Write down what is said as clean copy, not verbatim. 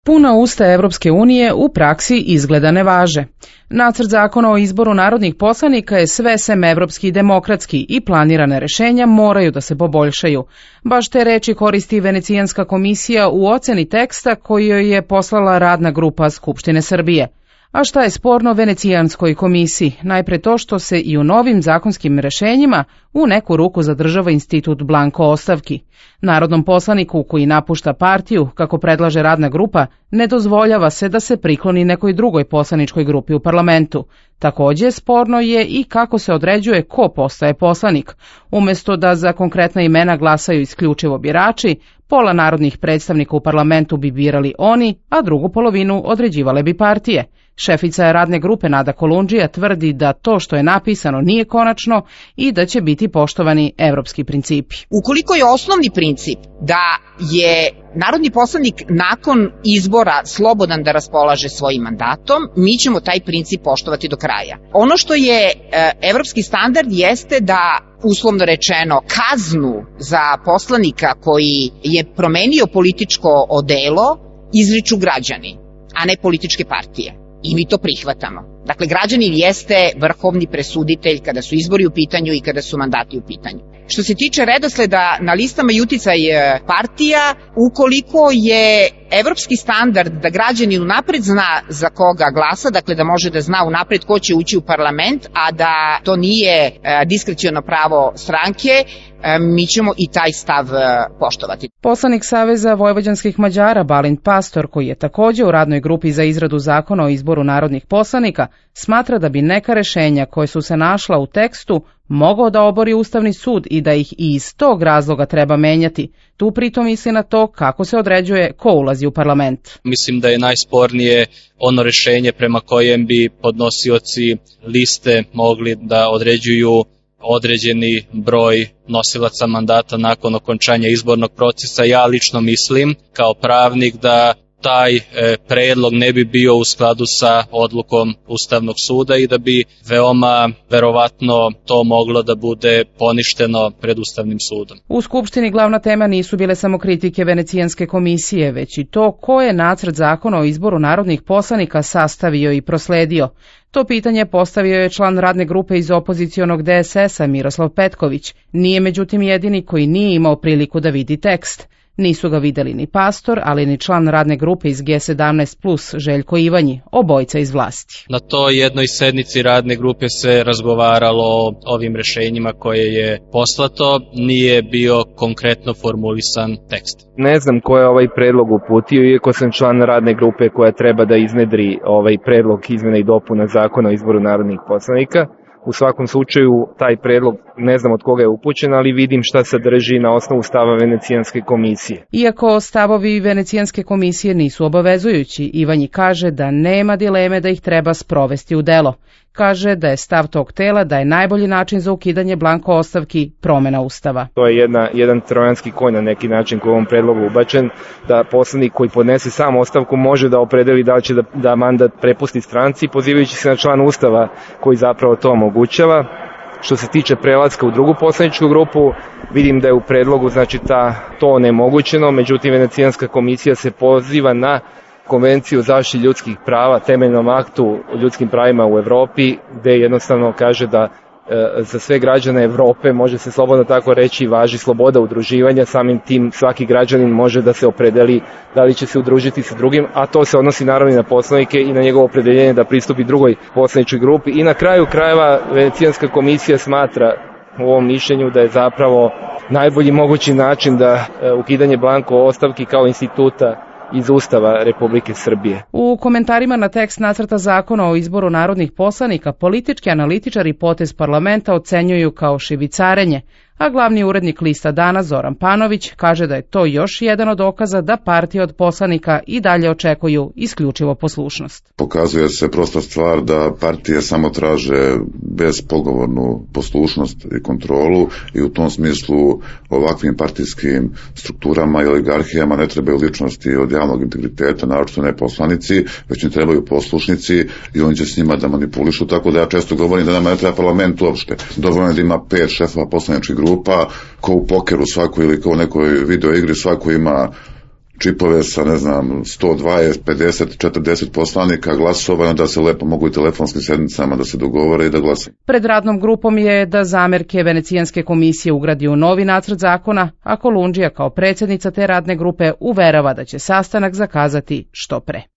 Puna usta Evropske unije u praksi izgleda ne važe. Nacrt zakona o izboru narodnih poslanika je sve sem evropski i demokratski i planirane rešenja moraju da se poboljšaju. Baš te reči koristi Venecijanska komisija u oceni teksta koji joj je poslala radna grupa Skupštine Srbije. A šta je sporno Venecijanskoj komisiji? Najpre to što se i u novim zakonskim rešenjima u neku ruku zadržava institut blanko ostavki. Narodnom poslaniku koji napušta partiju, kako predlaže radna grupa, ne dozvoljava se da se prikloni nekoj drugoj poslaničkoj grupi u parlamentu. Takođe, sporno je i kako se određuje ko postaje poslanik. Umesto da za konkretna imena glasaju isključivo birači, pola narodnih predstavnika u parlamentu bi birali oni, a drugu polovinu određivale bi partije. Šefica radne grupe Nada Kolundžija tvrdi da to što je napisano nije konačno i da će biti poštovani evropski principi. Ukoliko je osnovni princip da je narodni poslanik nakon izbora slobodan da raspolaže svojim mandatom, mi ćemo taj princip poštovati do kraja. Ono što je evropski standard jeste da, uslovno rečeno, kaznu za poslanika koji je promenio političko odelo izriču građani, a ne političke partije. I mi to prihvatamo. Dakle, građanin jeste vrhovni presuditelj kada su izbori u pitanju i kada su mandati u pitanju. Što se tiče redosleda na listama i uticaj partija, ukoliko je evropski standard da građanin unapred zna za koga glasa, dakle da može da zna unapred ko će ući u parlament, a da to nije diskreciono pravo stranke, mi ćemo i taj stav poštovati. Poslanik Saveza vojvođanskih Mađara Balint Pastor, koji je takođe u radnoj grupi za izradu zakona o izboru narodnih poslanika, smatra da bi neka rešenja koje su se našla u tekstu mogao da obori Ustavni sud i da ih i iz tog razloga treba menjati. Tu pritom misli na to kako se određuje ko ulazi u parlament. Mislim da je najspornije ono rešenje prema kojem bi podnosioci liste mogli da određuju određeni broj nosilaca mandata nakon okončanja izbornog procesa. Ja lično mislim kao pravnik da taj predlog ne bi bio u skladu sa odlukom Ustavnog suda i da bi veoma verovatno to moglo da bude poništeno pred Ustavnim sudom. U Skupštini glavna tema nisu bile samo kritike Venecijanske komisije, već i to ko je nacrt zakona o izboru narodnih poslanika sastavio i prosledio. To pitanje postavio je član radne grupe iz opozicionog DSS-a Miroslav Petković. Nije međutim jedini koji nije imao priliku da vidi tekst. Nisu ga videli ni Pastor, ali ni član radne grupe iz G17+, Željko Ivanji, obojica iz vlasti. Na toj jednoj sednici radne grupe se razgovaralo o ovim rešenjima koje je poslato, nije bio konkretno formulisan tekst. Ne znam ko je ovaj predlog uputio, iako sam član radne grupe koja treba da iznedri ovaj predlog izmena i dopuna zakona o izboru narodnih poslanika. U svakom slučaju, taj predlog ne znam od koga je upućen, ali vidim šta sadrži na osnovu stava Venecijanske komisije. Iako stavovi Venecijanske komisije nisu obavezujući, Ivanji kaže da nema dileme da ih treba sprovesti u delo. Kaže da je stav tog tela da je najbolji način za ukidanje blanko ostavki promena Ustava. To je jedan trojanski konj na neki način koji je u ovom predlogu ubačen, da poslanik koji podnese sam ostavku može da opredeli da li će da mandat prepusti stranci, pozivajući se na član Ustava koji zapravo to omogućava. Što se tiče prelaska u drugu poslaničku grupu, vidim da je u predlogu to onemogućeno, međutim Venecijanska komisija se poziva na Konvenciju o zaštiti ljudskih prava, temeljnom aktu o ljudskim pravima u Evropi, gde jednostavno kaže da za sve građane Evrope, može se slobodno tako reći, važi sloboda udruživanja, samim tim svaki građanin može da se opredeli da li će se udružiti sa drugim, a to se odnosi naravno i na poslanike i na njegovo opredeljenje da pristupi drugoj poslaničkoj grupi. I na kraju krajeva Venecijanska komisija smatra u ovom mišljenju da je zapravo najbolji mogući način da ukidanje blanko ostavki kao instituta iz Ustava Republike Srbije. U komentarima na tekst nacrta zakona o izboru narodnih poslanika politički analitičari potez parlamenta ocenjuju kao šibicarenje, a glavni urednik lista Dana Zoran Panović kaže da je to još jedan od dokaza da partije od poslanika i dalje očekuju isključivo poslušnost. Pokazuje se prosta stvar da partije samo traže bezpogovornu poslušnost i kontrolu i u tom smislu ovakvim partijskim strukturama i oligarhijama ne trebaju ličnosti od javnog integriteta, naročito ne poslanici, već im trebaju poslušnici i oni će s njima da manipulišu, tako da ja često govorim da nama ne treba parlament uopšte. Dovoljno da ima 5 šefova poslaničkih grupa, ko u pokeru svako ili kao u nekoj video igri svako ima čipove sa, 120, 50, 40 poslanika glasova, da se lepo mogu i telefonskim sednicama da se dogovore i da glasaju. Pred radnom grupom je da zamerke Venecijanske komisije ugradi u novi nacrt zakona, a Kolundžija kao predsjednica te radne grupe uverava da će sastanak zakazati što pre.